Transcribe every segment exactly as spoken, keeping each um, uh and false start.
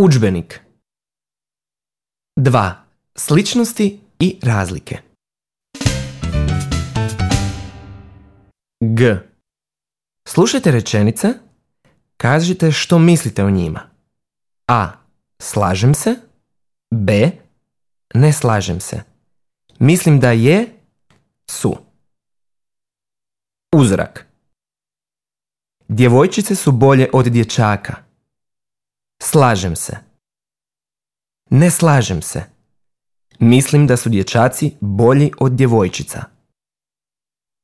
Udžbenik. dva. Sličnosti i razlike. G. Slušajte rečenice, kažite što mislite o njima. A. Slažem se. B. Ne slažem se. Mislim da je, su. Uzorak. Djevojčice su bolje od dječaka. Slažem se. Ne slažem se. Mislim da su dječaci bolji od djevojčica.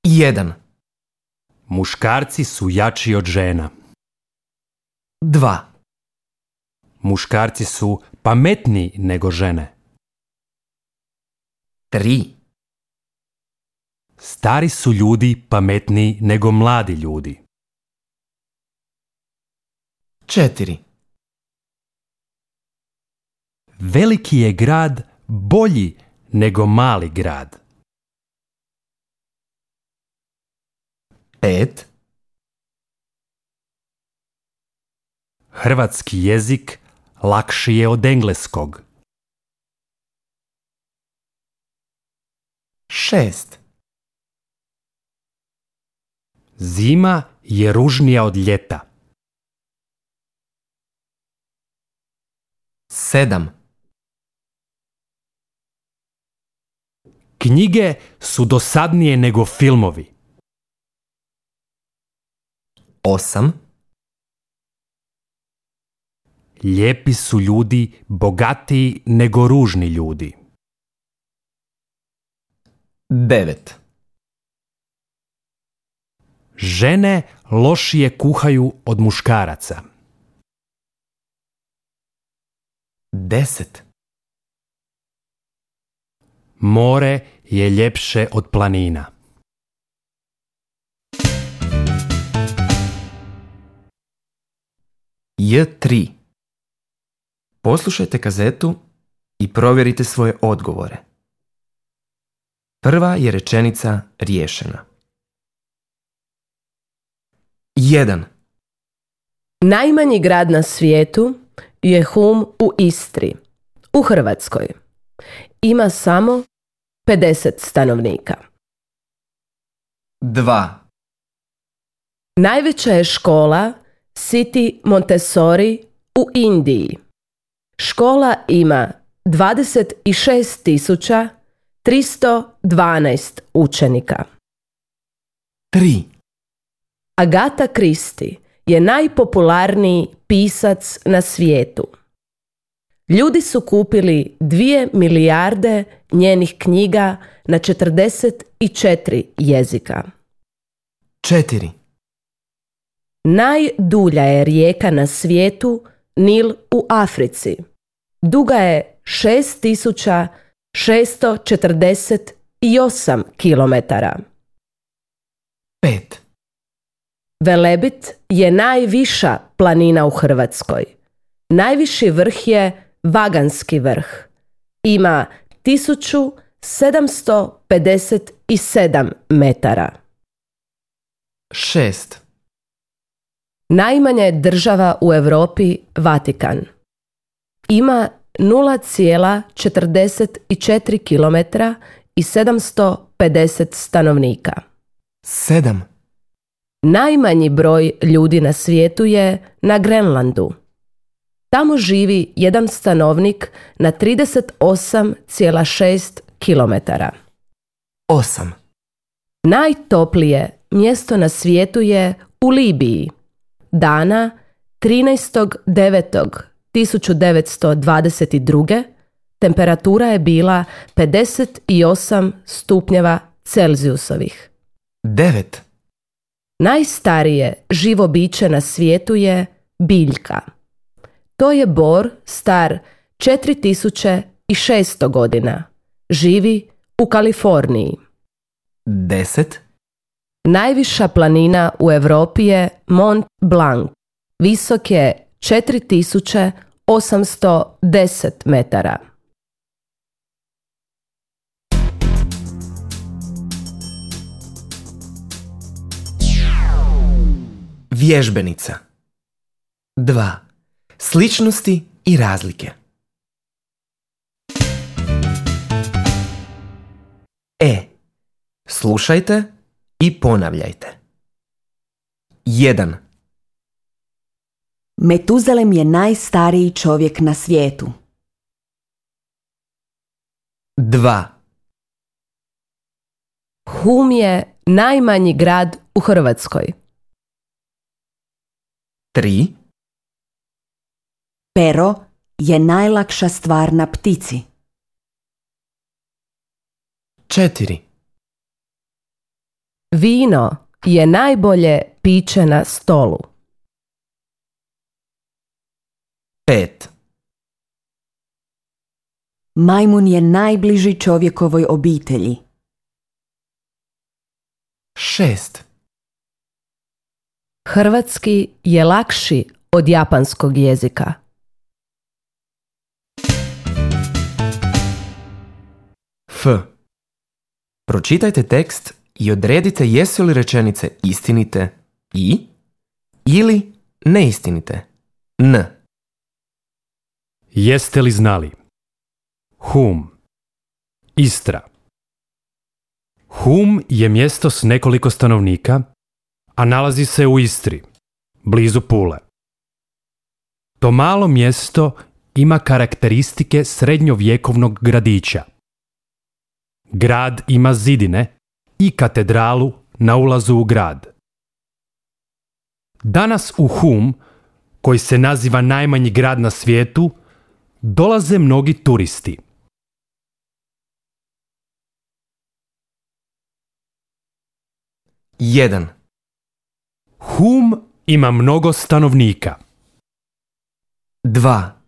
jedan. Muškarci su jači od žena. dva. Muškarci su pametniji nego žene. tri. Stari su ljudi pametniji nego mladi ljudi. četiri. Veliki je grad bolji nego mali grad. pet. Hrvatski jezik lakši je od engleskog. šest. Zima je ružnija od ljeta. sedam. Knjige su dosadnije nego filmovi. osam. Lijepi su ljudi bogatiji nego ružni ljudi. devet. Žene lošije kuhaju od muškaraca. deset. More je ljepše od planina. J tri. Poslušajte kazetu i provjerite svoje odgovore. Prva je rečenica riješena. jedan. Najmanji grad na svijetu je Hum u Istri, u Hrvatskoj. Ima samo pedeset stanovnika. dva. Najveća je škola City Montessori u Indiji. Škola ima dvadeset šest tisuća tristo dvanaest učenika. tri. Agatha Christie je najpopularniji pisac na svijetu. Ljudi su kupili dvije milijarde njenih knjiga na četrdeset četiri jezika. četiri. Najdulja je rijeka na svijetu Nil u Africi. Duga je šest tisuća šesto četrdeset osam kilometara. pet. Velebit je najviša planina u Hrvatskoj. Najviši vrh je Vaganski vrh. Ima tisuću sedamsto pedeset sedam metara. šest. Najmanja je država u Europi Vatikan. Ima nula zarez četrdeset četiri kilometra i sedamsto pedeset stanovnika. sedam. Najmanji broj ljudi na svijetu je na Grenlandu. Tamo živi jedan stanovnik na trideset osam zarez šest kilometara. osam. Najtoplije mjesto na svijetu je u Libiji. Dana trinaestog devetog tisuću devetsto dvadeset druge. temperatura je bila pedeset osam stupnjeva Celzijusovih. devet. Najstarije živo biće na svijetu je biljka. To je bor star četiri tisuće šesto godina. Živi u Kaliforniji. deset. Najviša planina u Europi je Mont Blanc. Visok je četiri tisuće osamsto deset metara. Vježbenica. dva. Sličnosti i razlike. E. Slušajte i ponavljajte. jedan. Metuzalem je najstariji čovjek na svijetu. dva. Hum je najmanji grad u Hrvatskoj. tri. Pero je najlakša stvar na ptici. četiri. Vino je najbolje piće na stolu. pet. Majmun je najbliži čovjekovoj obitelji. šest. Hrvatski je lakši od japanskog jezika. F. Pročitajte tekst i odredite jesu li rečenice istinite i ili neistinite. N. Jeste li znali? Hum. Istra. Hum je mjesto s nekoliko stanovnika, a nalazi se u Istri, blizu Pule. To malo mjesto ima karakteristike srednjovjekovnog gradića. Grad ima zidine i katedralu na ulazu u grad. Danas u Hum, koji se naziva najmanji grad na svijetu, dolaze mnogi turisti. jedan. Hum ima mnogo stanovnika. dva.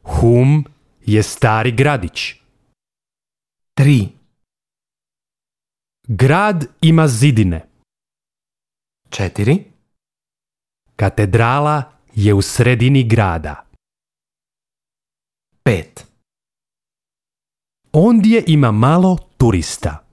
Hum je stari gradić. tri. Grad ima zidine. četiri. Katedrala je u sredini grada. pet. Ondje ima malo turista.